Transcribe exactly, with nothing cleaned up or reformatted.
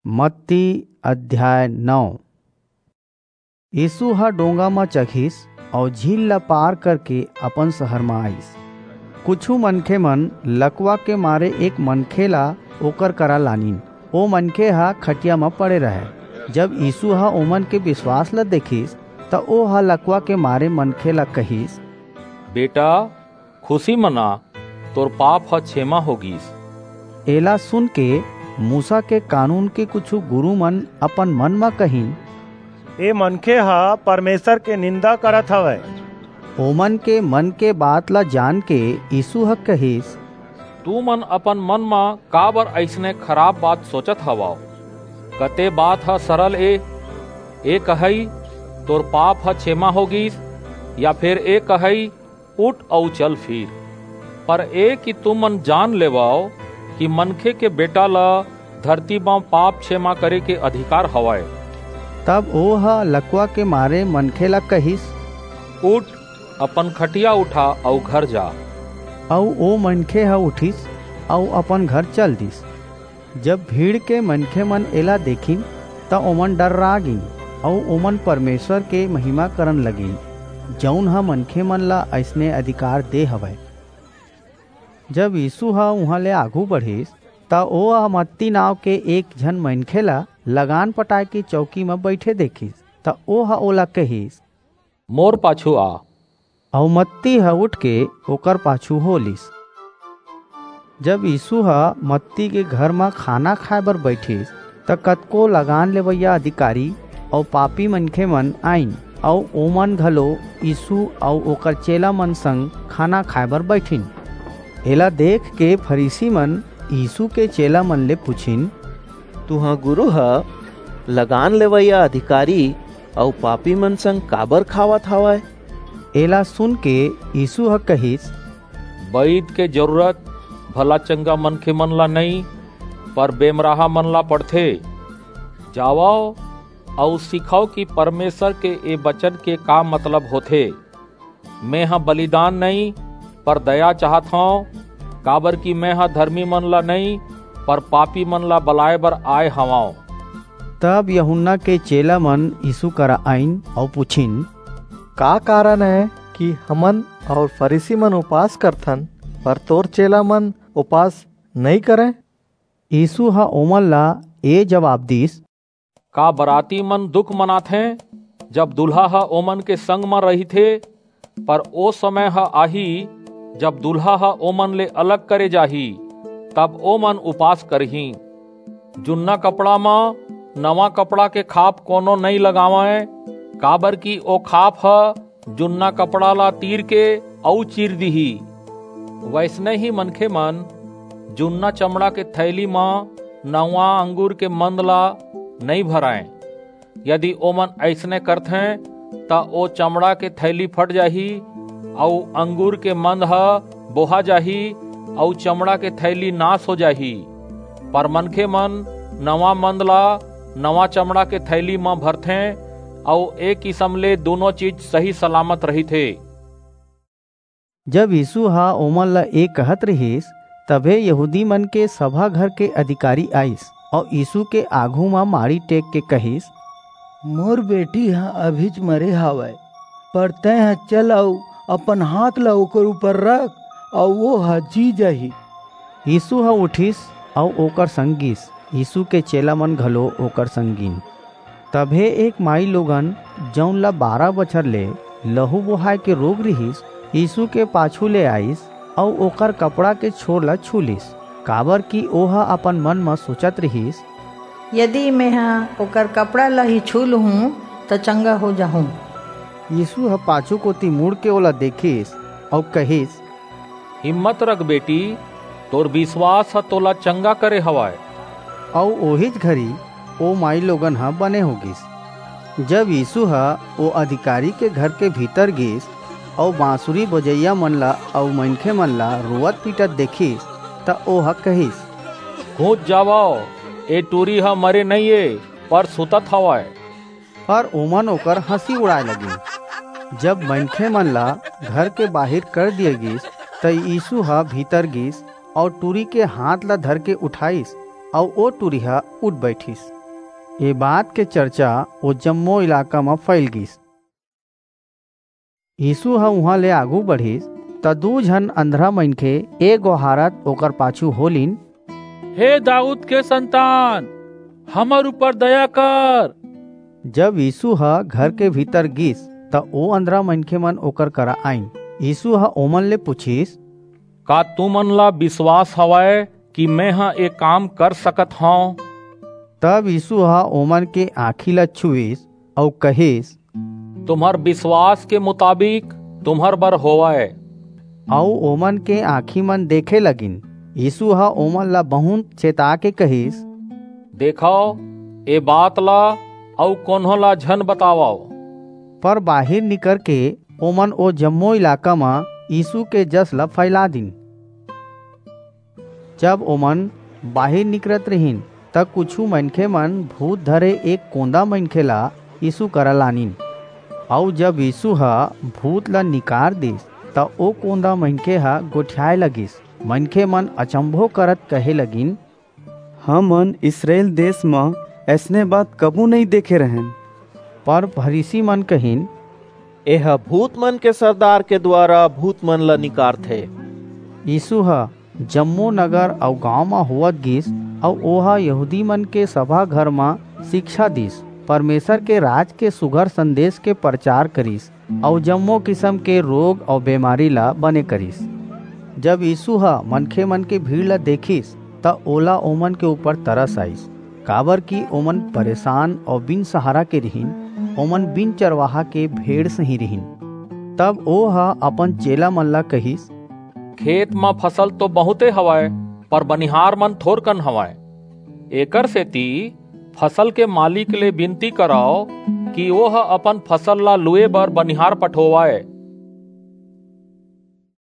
मत्ती अध्याय नौ। यीसू ह डोंगा म चघिस अऊ झील ला पार करके अपन सहर म आईस। कुछू मनखेमन लकवा के मारे एक मनखे ला ओकर करा लानिन। ओ मनखे ह खटिया म पड़े रहय। जब यीसू ह ओमन के बिसवास ला देखिस, त ओह लकवा के मारे मनखे ला कहिस, बेटा, खुसी मना, तोर पाप ह छेमा हो गीस। एला सुनके मूसा के कानून के कुछू गुरूमन अपन मन म कहिन, ए मनखे ह परमेसर के निंदा करत हवय। ओमन के मन के बात ला जानके यीसू ह कहिस, तुमन अपन मन म काबर अइसने खराप बात सोचत हवव? कते बात ह सरल ए, ए कहई, तोर पाप ह छेमा हो गीस, या फेर ए कहई, उठ अऊ चल फिर। पर ए कि तुमन जान लेवव कि मनखे के बेटा ल धरती म पाप छेमा करे के अधिकार हवय। तब ओह लकवा के मारे मनखे ला कहिस, उठ, अपन खटिया उठा अऊ घर जा। अऊ ओ मनखे ह उठिस अऊ अपन घर चल दिस। जब भीड़ के मनखेमन एला देखिन, त ओमन डर्रा गीन, अऊ ओमन परमेसर के महिमा करन लगिन, जऊन ह मनखेमन ला अइसने अधिकार दे हवय। जब यीसू ह उहां ले आघू बढ़िस, त ओह मत्ती नांव के एक झन मनखे ला लगान पटाय के चौकी म बईठे देखिस, त ओह ओला कहिस, मोर पाछू आ। अऊ मत्ती ह उठके ओकर पाछू हो लीस। जब यीसू ह मत्ती के घर म खाना खाय बर बईठिस, त कतको लगान लेवइया अधिकारी अऊ पापी मनखेमन आईन, अऊ ओमन घलो यीसू अऊ ओकर चेलामन संग खाना खाय बर बईठिन। एला देखके फरीसीमन यीसू के चेलामन ले पुछिन, तुंहर गुरू ह लगान लेवइया अधिकारी अऊ पापीमन संग काबर खावत हवय? एला सुनके यीसू ह कहिस, बईद के जरूरत भला चंगा मनखेमन ला नइं, पर बेमराहामन ला पड़थे। जावव अऊ सीखव कि परमेसर के ए बचन के का मतलब होथे, मेंह बलिदान नइं, पर दया चाहत हंव, काबरकि मेंह धरमीमन ला नइं, पर पापीमन ला बलाय बर आय हवंव। तब यूहन्ना के चेलामन यीसू करा आईन अऊ पुछिन, का कारन ए कि हमन अऊ फरीसीमन उपास करथन, पर तोर चेलामन उपास नइं करंय? यीसू ह ओमन ला ए जबाब दीस, का बरातीमन दुख मनाथें, जब दूल्हा ह ओमन के संग म रहिथे? पर ओ समय ह आही, जब दूल्हा ह ओमन ले अलग करे जाही, तब ओमन उपास करहीं। जुन्ना कपड़ा म नवां कपड़ा के खाप कोनो नइं लगावंय, काबरकि ओ खाप ह जुन्ना कपड़ा ला तीर के अऊ चीर दिही। वइसने ही मनखेमन जुन्ना चमड़ा के थैली म नवां अंगूर के मंद ला नइं भरंय। यदि ओमन अइसने करथें, त ओ चमड़ा के थैली फट जाही, अऊ अंगूर के मंद ह बोहा जाही, अऊ चमड़ा के थैली नास हो जाही। पर मनखेमन नवां मंद ला नवां चमड़ा के थैली म भरथें, अऊ ए किसम ले दूनों चीज सही सलामत रहिथे। जब यीसू ह ओमन ला ए कहत रिहिस, तभे यहूदीमन के सभा घर के अधिकारी आईस अऊ यीसू के आघू म माड़ी टेक के कहिस, मोर बेटी ह अभीच मरे हवय, पर तेंह चल अऊ अपन हांथ ला ओकर ऊपर रख, अऊ ओ ह जी जाही। यीसू ह उठिस अऊ ओकर संग गीस। यीसू के चेलामन घलो ओकर संग गीन। तभे एक माईलोगन, जऊन ला बारह बछर ले लहू बोहाय के रोग रिहिस, यीसू के पाछू ले आईस अऊ ओकर कपड़ा के छोर ला छू लीस, काबरकि ओह अपन मन म सोचत रिहिस, यदि मेंह ओकर कपड़ा ला ही छू लूहूं, त चंगा हो जाहूं। यीसू ह पाछू कोति मुड़के ओला देखिस अऊ कहिस, हिम्मत रख बेटी, तोर बिसवास ह तोला चंगा करे हवय। अऊ ओहीच घरी ओ माईलोगन ह बने हो गीस। जब यीसू ह ओ अधिकारी के घर के भीतर गीस अऊ बांसुरी बजइयामन ला अऊ मनखेमन ला रोवत-पीटत देखिस, त ओह कहिस, घुंच जावव, ए टूरी ह मरे नइं ए, पर सुतत हवय। पर ओमन ओकर हंसी उड़ाय लगिन। जब मनखेमन ला घर के बाहिर कर दिये गीस, त यीसू ह भीतर गीस अऊ टूरी के हांथ ला धरके उठाईस, अऊ ओ टूरी ह उठ बईठिस। ये बात के चर्चा वो जम्मो इलाका म फैल गिस। यीशु ह उहां ले आगू बढ़िस, त दू झन अंधरा मनखे ए गोहारत ओकर पाछू होलिन, "हे दाऊद के संतान, हमर ऊपर दया कर।" जब यीशु ह घर के भीतर गिस, त ओ अंधरा मनखे मन ओकर करा आइन। यीशु ह ओमन ले पूछिस, "का तुमन ला विश्वास हवय कि मेंह ए काम कर सकत हंव?" तब यीशु ह ओमन के आंखी ला छुईस अऊ कहिस, "तुम्हर विश्वास के मुताबिक तुम्हर बर होवय।" अऊ ओमन के आंखी मन देखे लगिन। यीशु ह ओमन ला बहुंत चेता के कहिस, "देखव, ए बात ला अऊ कोनो ला झन बतावव।" पर बाहिर निकर के ओमन ओ जम्मो इलाका म यीशु के जस ला फैला दिन। जब ओमन बाहिर निकरत रिहिन, त कुछू मनखे मन भूत धरे एक कोंदा मनखे ला यीशु करा लानिन। अऊ जब यीशु ह भूत ला निकार दिस, त ओ कोंदा मनखे ह गोठियाए लगिस। मनखे मन अचंभो करत कहे लगिन, "हमन इसरायल देस म अइसने बात कभू नइं देखे रहेन।" पर फरीसी मन कहिन, "एह भूत मन के सरदार के दुवारा भूत मन ला निकारथे।" यीशु ह जम्मो नगर अऊ गांव म होवत गिस, अऊ ओह यहूदी मन के सभा घर म शिक्षा दिस, परमेसर के राज के सुघर संदेस के परचार करिस, अऊ जम्मो किसम के रोग अऊ बेमारी ला बने करिस। जब यीशु ह मनखे मन के भीड़ ला देखिस, त ओला ओमन के ऊपर तरस आइस, काबरकि ओमन परेसान अऊ बिन सहारा के रिहिन, ओमन बिन चरवाहा के भेड़ सहीं रिहिन। तब ओह अपन चेला मन ला कहिस, "खेत म फसल तो बहुंते हवय, पर बनिहार मन थोरकन हवय। एकर सेति फसल के मालिक ले बिनती करव कि ओह अपन फसल ला लूए बर बनिहार पठोवय।"